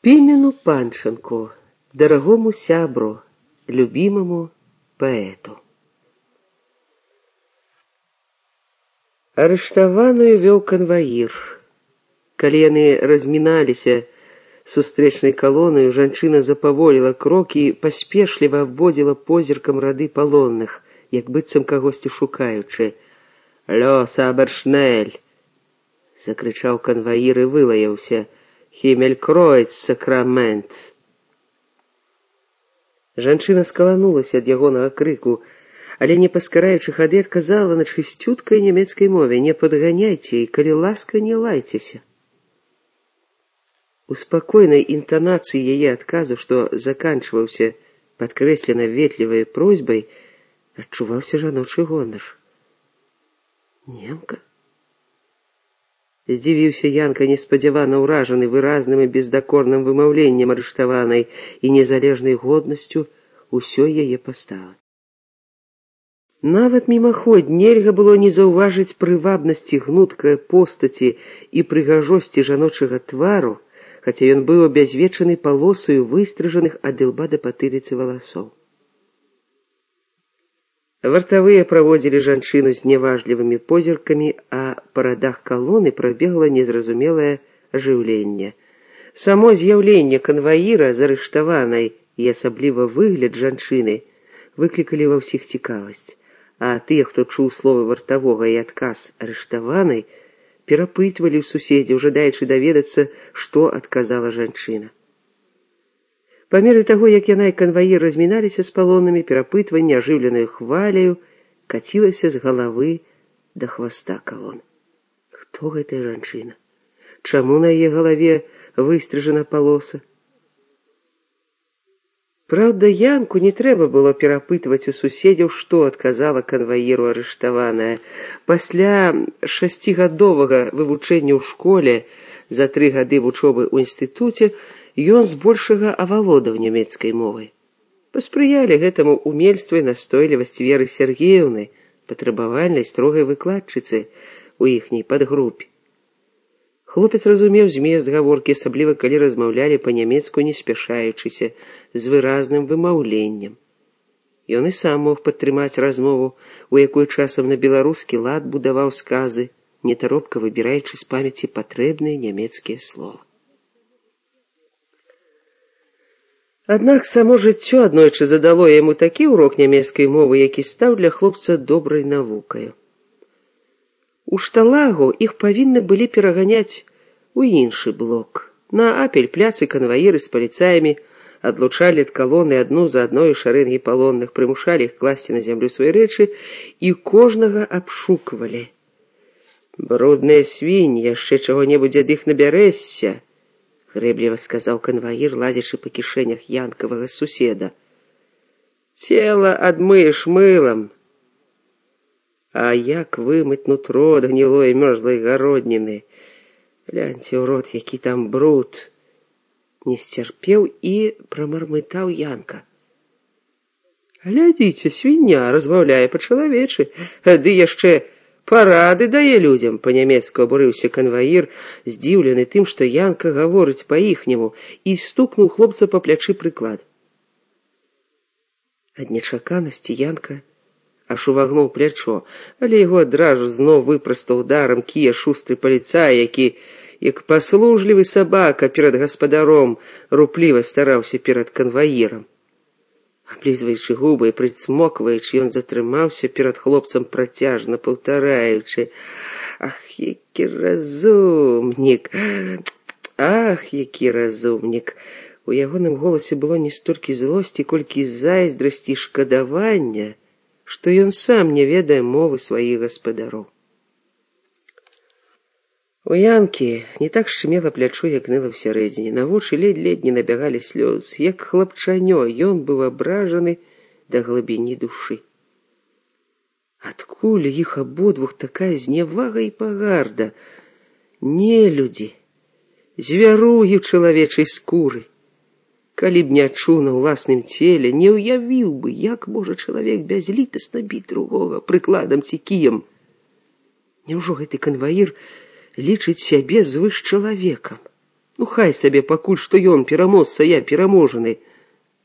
Пимену Панченку, дорогому сябру, любимому поэту. Арыштаваную вёў канваір. Калі яны разміналіся сустрэчнай калонаю, жанчына запаволіла крокі і паспешліва абводзіла позіркам рады палонных, як быццам кагосьці шукаючы. «Лё, сабершнель!» — закрычаў канваір і вылаяўся. «Хімелькройц, сакрамент!» Жанчына скаланулася ад ягонага крыку, але, не паскараючы хады, адказала на чысцюткай нямецкай мове: «Не падганяйце і, калі ласка, не лайцеся». У спакойнай інтанацыі яе адказу, што заканчваўся падкрэслена ветлівай просьбай, адчуваўся жаночы гонар. «Немка?» Здзівіўся Янка, неспадзявана ўражаны выразным і бездакорным вымаўленнем арыштаванай і незалежнай годнасцю усёй яе паставы. Нават мімаход нельга было не заўважыць прывабнасці гнуткай постаці і прыгажосці жаночага твару, хаця ён быў абязвечаны палосаю выстрыжаных ад ілба да патыліцы валасоў. Вартавыя праводзілі жанчыну з няважлівымі позіркамі, а па радах калоны прабегла незразумелае ажыўленне. Само з'яўленне канваіра з арыштаванай і асабліва выгляд жанчыны выклікалі ва ўсіх цікавасць, а тыя, хто чуў словы вартавога і адказ арыштаванай, перапытвалі ў суседзяў, жадаючы даведацца, што адказала жанчына. Па меры таго, як яна і канваір разміналіся з палоннымі, перапытванне ажыўленаю хваляю кацілася з галавы да хваста калон. Хто гэтая жанчына? Чаму на яе галаве выстрыжана палоса? Праўда, Янку не трэба было перапытваць у суседзяў, што адказала канваіру арыштаваная. Пасля 6гадовага вывучэння ў школе за 3 гады вучобы ў інстытуце ён збольшага авалодаў нямецкай мовай. Паспрыялі гэтаму умельства і настойлівасць Веры Сергеевны, патрабавальнай строгай выкладчыцы у іхняй падгрупе. Хлопец разумеў змест гаворкі, асабліва калі размаўлялі па-нямецку не спяшаючыся, з выразным вымаўленнем. Ён і сам мог падтрымаць размову, у якой часам на беларускі лад будаваў сказы, нетаропка выбіраючы з памяці патрэбныя нямецкія словы. Аднак само жыццё аднойчы задало яму такі ўрок нямецкай мовы, які стаў для хлопца добрай навукаю. У Шталагу іх павінны былі пераганяць у іншы блок. На Апель-пляцы канваіры з паліцаямі адлучалі ад калоны адну за адной шарэнгі палонных, прымушалі іх класці на зямлю свае рэчы і кожнага абшуквалі. «Брудныя свінь, яшчэ чаго-небудзь ад іх набярэшся», — грэбліва сказаў канваір, лазячы па кішэнях янкавага суседа. «Цела адмыеш мылам. А як вымыць нутро ад гнілой мёрзлай гародніны? Гляньце ў рот, які там бруд!» Не сцярпеў і прамармытаў Янка. «Глядзіце, свіння размаўляе па-чалавечы, ды яшчэ парады дае людзям», — па-нямецку абурыўся канваір, здзіўлены тым, што Янка гаворыць па-іхняму, і стукнуў хлопца па плячы прыклад. Ад нечаканасці Янка аж увагнуў плячо, але яго адразу зноў выпрастаў ударам кія шустры паліцай, які, як паслужлівы сабака перад гаспадаром, рупліва стараўся перад канваірам. Аблізваючы губы і прыцмокваючы, ён затрымаўся перад хлопцам, працяжна паўтараючы: «Ах, які разумнік! Ах, які разумнік!» У ягоным голасе было не столькі злосці, колькі зайздрасці і шкадавання, што ён сам не ведае мовы сваіх гаспадароў. У Янкі не так шчымела плячо, як ныла ўсярэдзіне. На вочы ледзь-ледзь не набягалі слёзы. Як хлапчанё, ён быў абражаны да глыбіні душы. Адкуль іх абодвух такая знявага і пагарда? Нелюдзі, звяругі ў чалавечай скуры. Калі б не адчуў на ўласным целе, не ўявіў бы, як можа чалавек бязлітасна біць другога прыкладам ці кіем. Няўжо гэты канваір лічыць сябе звышчалавекам? Ну, хай сабе пакуль, што ён пераможца, я пераможаны.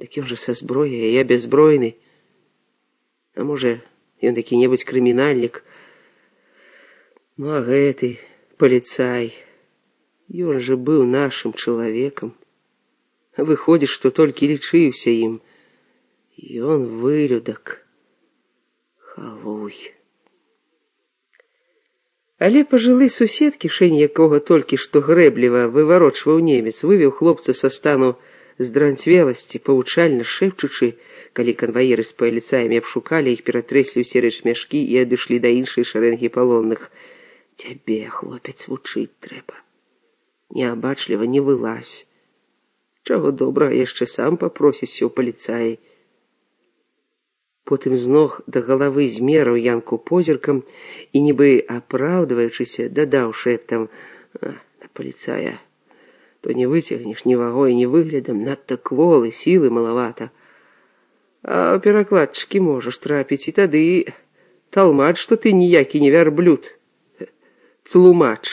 Дык ён жа са зброяй, а я бяззбройны. А можа, ён які-небудзь крымінальнік. Ну, а гэты паліцай, ён жа быў нашым чалавекам. Выходзіць, што толькі лічыўся ім. Ён вылюдак. Халуй. Але пажылы сусед, кішэнь якога толькі што грэбліва выварочваў немец, вывеў хлопца са стану здранцвеласці, павучальна шэпчучы, калі канваіры з паліцаямі абшукалі іх, ператрэслі ўсе рэчмяшкі і адышлі да іншай шарэнгі палонных. Цябе, хлопец, вучыць трэба. Неабачліва не вылазь. Чаго добрага, яшчэ сам папросіся ў паліцаі. Потым з ног да галавы змераў Янку позіркам і, нібы апраўдваючыся, дадаў шэптам: на паліцая то не выцягнеш ні вагой, ні выглядам, надта кволы, сілы малавата. А перакладчыкі можаш трапіць, і тады талмач, што ты ніякі не вярблюд. Тлумач.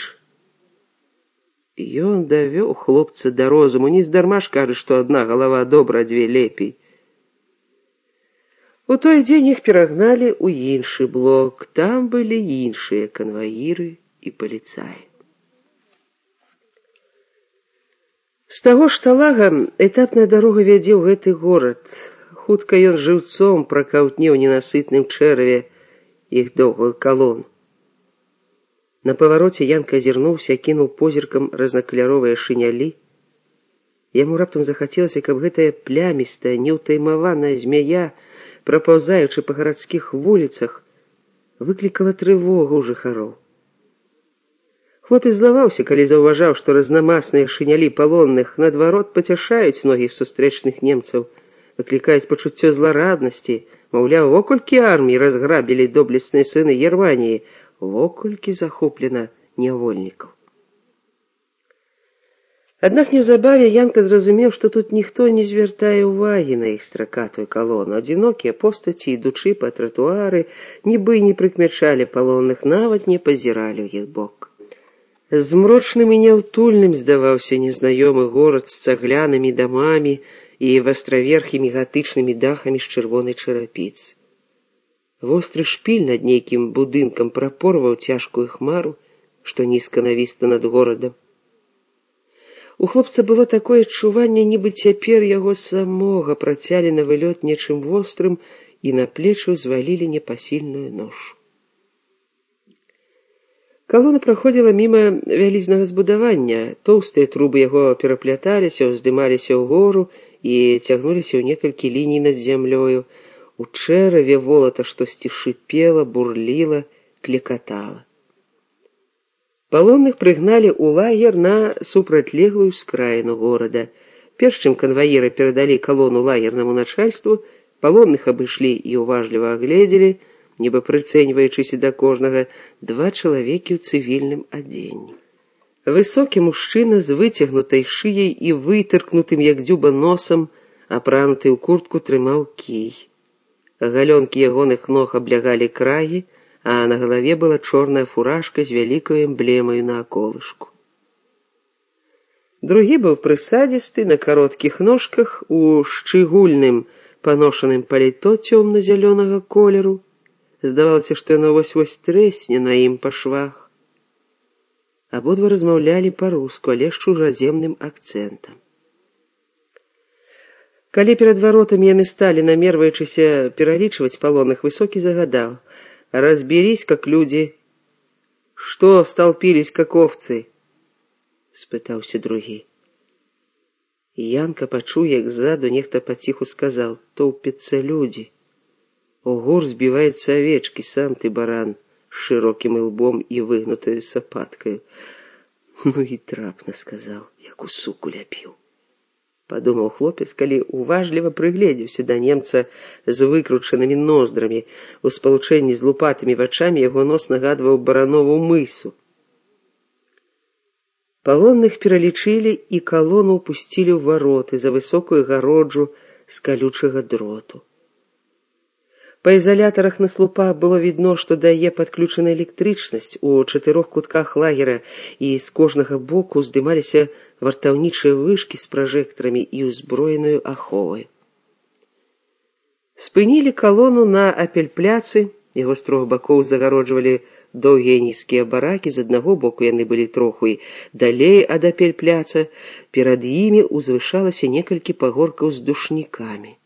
Ён давёў хлопца да розуму, нездарма ж кажа, што адна галава добра, а дзве лепей. У той дзень іх перагналі ў іншы блок, там былі іншыя канваіры і паліцаі. З таго шталага этапная дарога вядзе ў гэты горад. Хутка ён жыўцом пракаўтне ў ненасытным чэраве іх доўгую калону. На павароце Янка азірнуўся, кінуў позіркам разнакаляровыя шынялі. Яму раптам захацелася, каб гэтая плямістая, неўтаймаваная змяя, прапаўзаючы па гарадскіх вуліцах, выклікала трывогу ў жыхароў. Хлопец злаваўся, калі заўважаў, што разнамасныя шынялі палонных наадварот пацяшаюць многіх сустрэчных немцаў, выклікаюць пачуццё злараднасці, маўляў, во колькі армій разграбілі доблесныя сыны Германіі, во колькі захоплена нявольнікаў. Аднак неўзабаве Янка зразумеў, што тут ніхто не звяртае ўвагі на іх стракатую калону. Адзінокія постаці, ідучы па тратуары, нібы не прыкмячалі палонных, нават не пазіралі ў іх бок. Змрочным і няўтульным здаваўся незнаёмы горад з цаглянымі дамамі і вастраверхімі гатычнымі дахамі з чырвонай чарапіцы. Востры шпіль над нейкім будынкам прапорваў цяжкую хмару, што нізка навісла над горадам. У хлопца было такое адчуванне, нібы цяпер яго самога працялі на вылёт нечым вострым і на плечы ўзвалілі непасільную ношу. Калона праходзіла міма вялізнага збудавання. Тоўстыя трубы яго перапляталіся, уздымаліся ўгору і цягнуліся ў некалькі ліній над зямлёю. У чэраве волата штосьці шыпела, бурліла, клекатала. Палонных прыгналі ў лагер на супрацьлеглую скраіну горада. Перш чым канваіры перадалі калону лагернаму начальству, палонных абышлі і уважліва агледзелі, нібы прыцэньваючыся да кожнага, два чалавекі ў цывільным адзенні. Высокі мужчына з выцягнутай шыяй і вытыркнутым, як дзюба, носам, апрануты ў куртку, трымаў кій. Галёнкі ягоных ног аблягалі крагі, а на галаве была чорная фуражка з вялікаю эмблемаю на аколышку. Другі быў прысадзісты, на кароткіх ножках, у шчыгульным паношаным паліто цёмна-зялёнага колеру. Здавалася, што яно вось-вось трэсне на ім па швах. Абодва размаўлялі па-руску, але з чужаземным акцэнтам. Калі перад варотамі яны сталі, намерваючыся пералічваць палонных, высокі загадаў: «Разберись, как люди. Что столпились, как овцы?» — спытаўся другі. Янка пачуў, як ззаду нехта паціху сказаў: «Тоўпяцца людзі. У гор збіваюцца авечкі, сам ты баран, з шырокім ілбом і выгнутаю сапаткаю». Ну і трапна сказаў, як у суку ляпіў. Падумаў хлопец, калі уважліва прыгледзеўся да немца з выкручанымі ноздрамі. У спалучэнні з лупатымі вачамі яго нос нагадваў баранову мысу. Палонных пералічылі і калону ўпусцілі ў вароты за высокую гароджу з калючага дроту. Па ізалятарах на слупах было відно, што дае падключана электрычнасць у 4 кутках лагера, і з кожнага боку здымаліся вартаўнічыя вышкі з пражэктарамі і ўзброенаю аховай. Спынілі калону на апельпляцы, яго з 3 бакоў загароджвалі доўгія нізкія баракі, з аднаго боку яны былі троху і далей ад апельпляца, перад імі узвышалася некалькі пагоркаў з душнікамі.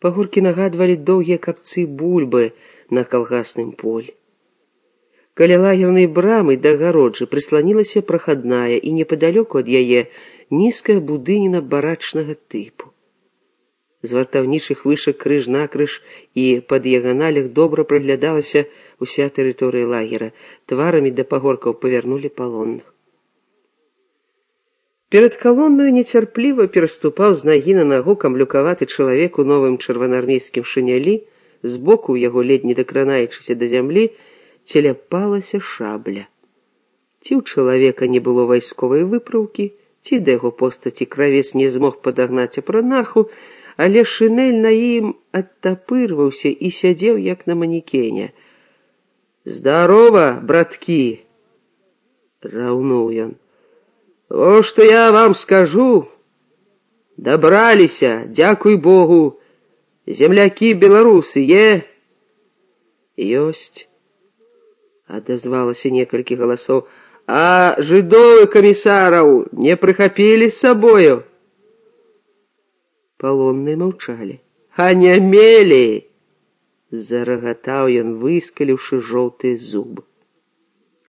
Пагоркі нагадвалі доўгія капцы бульбы на калгасным полі. Каля лагернай брамы да агароджы прысланілася прахадная, і непадалёку ад яе нізкая будыніна барачнага тыпу. З вартаўнічых вышак крыж-накрыж і па дыяганалях добра праглядалася ўся тэрыторыя лагера. Тварамі да пагоркаў павярнулі палонных. Перад калоннаю нецярпліва пераступаў з нагі на нагу камлюкаваты чалавек у новым чырвонаармейскім шынялі, збоку яго, ледзь не дакранаючыся да зямлі, целяпалася шабля. Ці ў чалавека не было вайсковай выпраўкі, ці да яго постаці кравец не змог падагнаць апранаху, але шынель на ім адтапырваўся і сядзеў, як на манекене. «Здарова, браткі!» — раўнуў ён. «О, што я вам скажу! Дабраліся, дзякуй Богу! Землякі-беларусы, е?» «Ёсць», — адазвалася некалькі галасоў. «А жыдоў і камісараў не прыхапілі з сабою?» Палонныя маўчалі. «Анямелі!» — зарагатаў ён, выскаліўшы жоўтыя зубы.